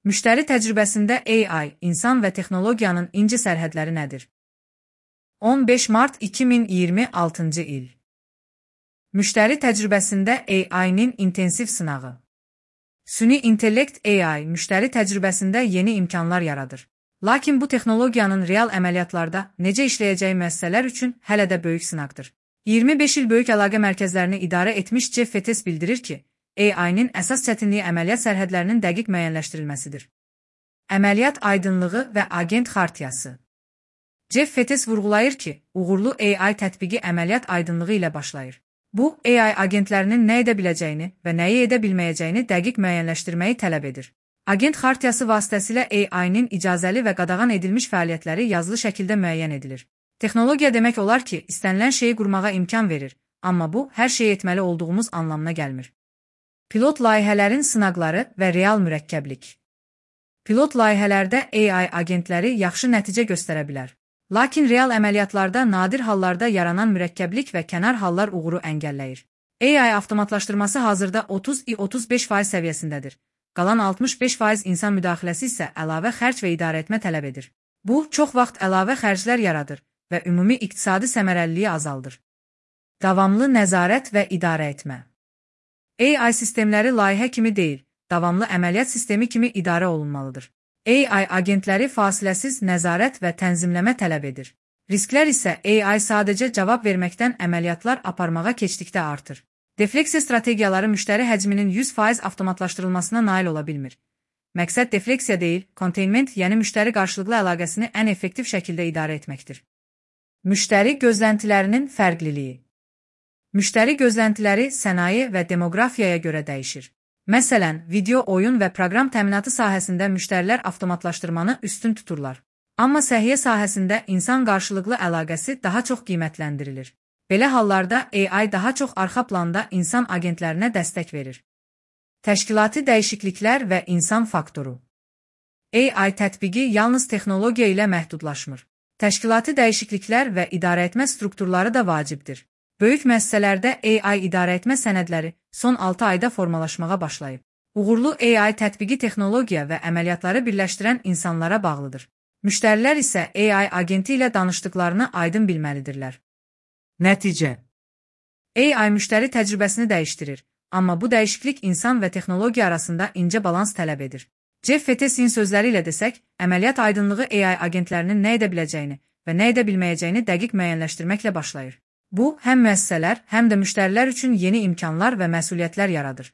Müştəri təcrübəsində AI, insan və texnologiyanın inci sərhədləri nədir? 15 mart 2026-cı il. Müştəri təcrübəsində AI-nin intensiv sınağı. Süni intellekt AI müştəri təcrübəsində yeni imkanlar yaradır. Lakin bu texnologiyanın real əməliyyatlarda necə işləyəcəyi müəssisələr üçün hələ də böyük sınaqdır. 25 il böyük əlaqə mərkəzlərini idarə etmiş Jeff Fettes bildirir ki, AI-nin əsas çətinliyi əməliyyat sərhədlərinin dəqiq müəyyənləşdirilməsidir. Əməliyyat aydınlığı və agent xartiyası. Jeff Fettes vurğulayır ki, uğurlu AI tətbiqi əməliyyat aydınlığı ilə başlayır. Bu, AI agentlərinin nə edə biləcəyini və nəyi edə bilməyəcəyini dəqiq müəyyənləşdirməyi tələb edir. Agent xartiyası vasitəsilə AI-nin icazəli və qadağan edilmiş fəaliyyətləri yazılı şəkildə müəyyən edilir. Texnologiya demək olar ki, istənilən şeyi qurmağa imkan verir, amma bu, hər şeyi etməli olduğumuz anlamına gəlmir. Pilot layihələrin sınaqları və real mürəkkəblik. Pilot layihələrdə AI agentləri yaxşı nəticə göstərə bilər. Lakin real əməliyyatlarda nadir hallarda yaranan mürəkkəblik və kənar hallar uğuru əngəlləyir. AI avtomatlaşdırması hazırda 30-35% səviyyəsindədir. Qalan 65% insan müdaxiləsi isə əlavə xərc və idarəetmə tələb edir. Bu, çox vaxt əlavə xərclər yaradır və ümumi iqtisadi səmərəliliyi azaldır. Davamlı nəzarət və idarə etmə. AI sistemləri layihə kimi deyil, davamlı əməliyyat sistemi kimi idarə olunmalıdır. AI agentləri fasiləsiz nəzarət və tənzimləmə tələb edir. Risklər isə AI sadəcə cavab verməkdən əməliyyatlar aparmağa keçdikdə artır. Defleksiya strategiyaları müştəri həcminin 100% avtomatlaşdırılmasına nail ola bilmir. Məqsəd defleksiya deyil, containment, yəni müştəri qarşılıqlı əlaqəsini ən effektiv şəkildə idarə etməkdir. Müştəri gözləntilərinin fərqliliyi. Müştəri gözləntiləri sənaye və demoqrafiyaya görə dəyişir. Məsələn, video, oyun və proqram təminatı sahəsində müştərilər avtomatlaşdırmanı üstün tuturlar. Amma səhiyyə sahəsində insan qarşılıqlı əlaqəsi daha çox qiymətləndirilir. Belə hallarda AI daha çox arxa planda insan agentlərinə dəstək verir. Təşkilati dəyişikliklər və insan faktoru. AI tətbiqi yalnız texnologiya ilə məhdudlaşmır. Təşkilati dəyişikliklər və idarəetmə strukturları da vacibdir. Böyük müəssisələrdə AI idarəetmə sənədləri son 6 ayda formalaşmağa başlayıb. Uğurlu AI tətbiqi texnologiya və əməliyyatları birləşdirən insanlara bağlıdır. Müştərilər isə AI agenti ilə danışdıqlarını aydın bilməlidirlər. Nəticə. AI müştəri təcrübəsini dəyişdirir, amma bu dəyişiklik insan və texnologiya arasında incə balans tələb edir. Jeff Fettes'in sözləri ilə desək, əməliyyat aydınlığı AI agentlərinin nə edə biləcəyini və nə edə bilməyəcəyini dəqiq müəyyənləşdirməklə başlayır. Bu, həm müəssisələr, həm də müştərilər üçün yeni imkanlar və məsuliyyətlər yaradır.